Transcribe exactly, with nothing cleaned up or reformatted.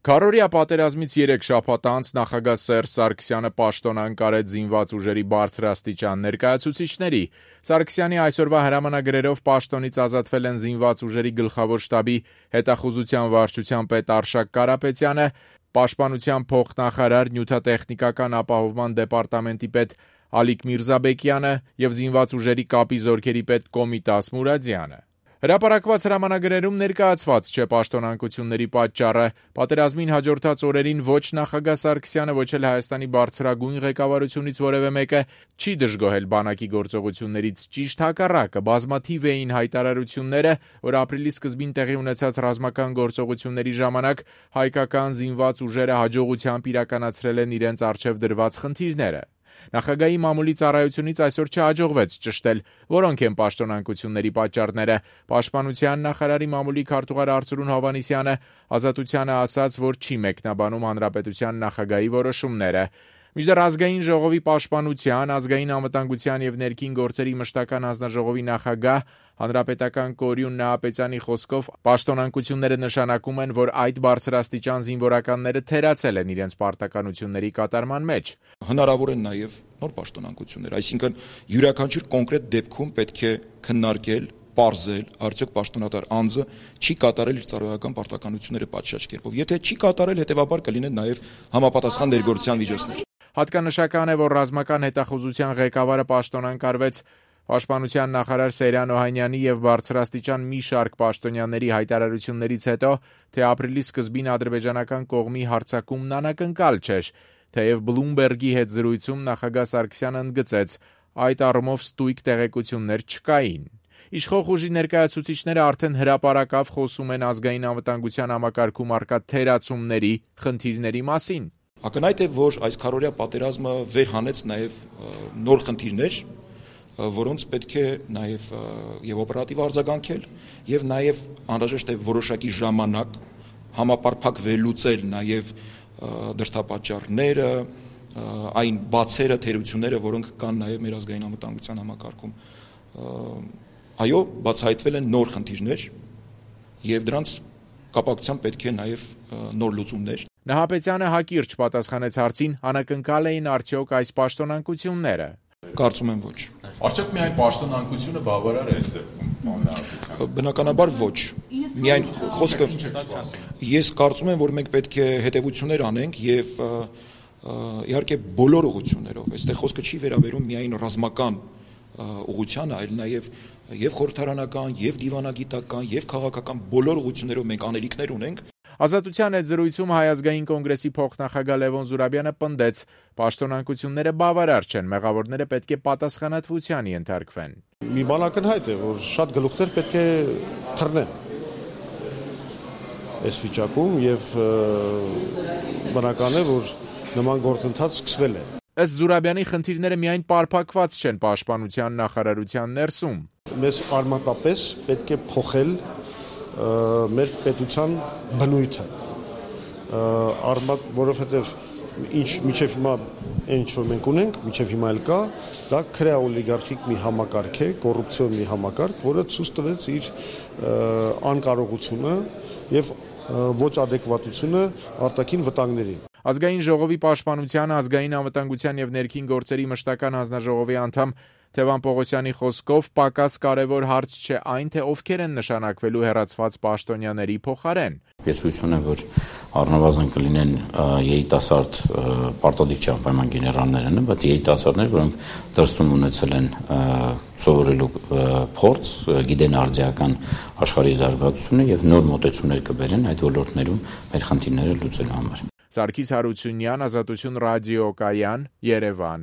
Քառօրյա պատերազմից երեք շաբաթ անց նախագահ Սերժ Սարգսյանը պաշտոնանկ արեց զինված ուժերի բարձրաստիճան ներկայացուցիչների։ Սարգսյանի այսօրվա հրամանագրերով պաշտոնից ազատվել են զինված ուժերի գլխավոր շտաբի հետախուզության վարչության պետ Արշակ Կարապետյանը, պաշտպանության փոխնախարար, նյութատեխնիկական ապահովման դեպարտամենտի պետ Ալիկ Միրզաբեկյանը և զինված ուժերի կապի զորքերի պետ Կոմիտաս Մուրադյանը։ Հրապարակված հրամանագրերում ներկայացված չէ պաշտոնանկությունների պատճառը։ Պատերազմին հաջորդած օրերին ոչ նախագահ Սարգսյանը, ոչ էլ Հայաստանի բարձրագույն ղեկավարությունից որևէ մեկը չի դժգոհել բանակի գործողություններից, ճիշտ հակառակը, բազմաթիվ էին հայտարարությունները, որ ապրիլի սկզբին տեղի ունեցած ռազմական գործողությունների ժամանակ հայկական զինված ուժերը հաջողությամբ իրականացրել են իրենց առջև դրված խնդիրները։ Նախագահի մամուլի ծառայությունից այսօր չհաջողվեց ճշտել, որոնք են պաշտոնանկությունների պատճառները։ Պաշտպանության նախարարի մամուլի քարտուղար Արծրուն Հովհաննիսյանը Ազատությանը ասաց, որ չի մեկնաբանում հանրապետության նախագահի որոշումները։ Մինչդեռ ազգային ժողովի պաշտպանության, ազգային անվտանգության և ներքին գործերի մշտական հանձնաժողովի նախագահ հանրապետական կորյուն Նահապետյանի խոսքով պաշտոնանկությունները նշանակում են, որ այդ բարձրաստիճան զինվորականները թերացել են իրենց պարտականությունների կատարման մեջ։ Հնարավոր են նաև նոր պաշտոնանկություններ, այսինքն յուրաքանչյուր կոնկրետ դեպքում պետք է քննարկել, պարզել, արդյոք պաշտոնատար անձը չի կատարել իր ծառայական պարտականությունները պատշաճ կերպով։ Եթե չի կատարել, հետևաբար կլինեն նաև համապատասխան ներգործության միջոցներ։ Հատկանշական է, որ ռազմական հետախուզության ղեկավարը պաշտոնանկարվեց Պաշտպանության նախարար Սեյրան Օհանյանի և բարձրաստիճան մի շարք պաշտոնյաների հայտարարություններից հետո, թե ապրիլի սկզբին ադրբեջանական կողմի հարձակումն անակնկալ չէր, թեև Բլումբերգի հետ զրույցում նախագահ Սարգսյանը ընդգծեց, այդ առումով ստույգ տեղեկություններ չկային։ Իշխող ուժի ներկայացուցիչները արդեն հրապարակավ խոսում են ազգային անվտանգության համակարգում առկա թերացումների, խնդիրների մասին։ Ակնհայտ է, որ այս քառօրյա պատերազմը վերհանեց նաև նոր խնդիրներ, որոնց պետք է նաև եւ օպերատիվ արձագանքել եւ նաև անհրաժեշտ է որոշակի ժամանակ համապարփակ վերլուծել նաև դրդապատճառները, այն բացերը, թերությունները, որոնք կան նաև մեր ազգային անվտանգության համակարգում։ Այո, բացահայտվել են նոր խնդիրներ եւ դրանց կապակցությամբ պետք է նաև նոր լուծումներ։ Նահապետյանը հակիրճ պատասխանեց հարցին, անակնկալ էին արդյոք այս պաշտոնանկությունները։ Կարծում եմ ոչ։ Արդյոք միայն պաշտոնանկությունը բավարար է այս դեպքում։ Բնականաբար ոչ։ Միայն խոսքը ես կարծում եմ, որ մենք պետք է հետևություններ անենք եւ իհարկե բոլոր ուղղություններով։ Այստեղ խոսքը չի վերաբերում միայն ռազմական ուղղությանը, այլ նաև եւ խորհրդարանական, եւ դիվանագիտական, եւ քաղաքական բոլոր ուղղություններով մենք անելիքներ ունենք։ Ազատության հետ զրույցում Հայ ազգային կոնգրեսի փոխնախագահ Լևոն Զուրաբյանը պնդեց, պաշտոնանկությունները բավարար չեն, մեղավորները պետք է պատասխանատվության ենթարկվեն։ Մի բան ակնհայտ է, որ շատ գլուխներ պետք է թռնեն այս վիճակում եւ բնական է, որ նման գործընթաց սկսվել է։ Ըստ Զուրաբյանի խնդիրները միայն պարփակված չեն պաշտպանության նախարարության ներսում։ Մեզ արմատապես պետք է փոխել մեր պետության բնույթը, արմատ, որովհետև ինչ միջև հիմա այն ինչ որ մենք ունենք, միջև հիմա էլ կա, դա քրեաօլիգարխիկ մի համակարգ է, կոռուպցիոն մի համակարգ, որը ցույց տվեց իր անկարողությունը եւ ոչ ադեկվատությունը արտաքին վտանգներին։ Ազգային ժողովի պաշտպանության, ազգային անվտանգության եւ ներքին գործերի մշտական հանձնաժողովի անդամ Թևան Պողոսյանի խոսքով պակաս կարևոր հարց չէ այն, թե ովքեր են նշանակվելու հեռացված պաշտոնյաների փոխարեն։ Ես հույս ունեմ, որ առնվազն կլինեն երիտասարդ պարտադիր չի անպայման գեներալները, բայց երիտասարդներ, որոնք դրսում ունեցել են սովորելու փորձ, գիտեն արդիական աշխարհի զարգացությունը եւ նոր մոտեցումներ կբերեն այդ ոլորտներում մեր խնդիրները լուծելու համար։ Սարգիս Հարությունյան, Ազատություն ռադիոկայան, Երևան։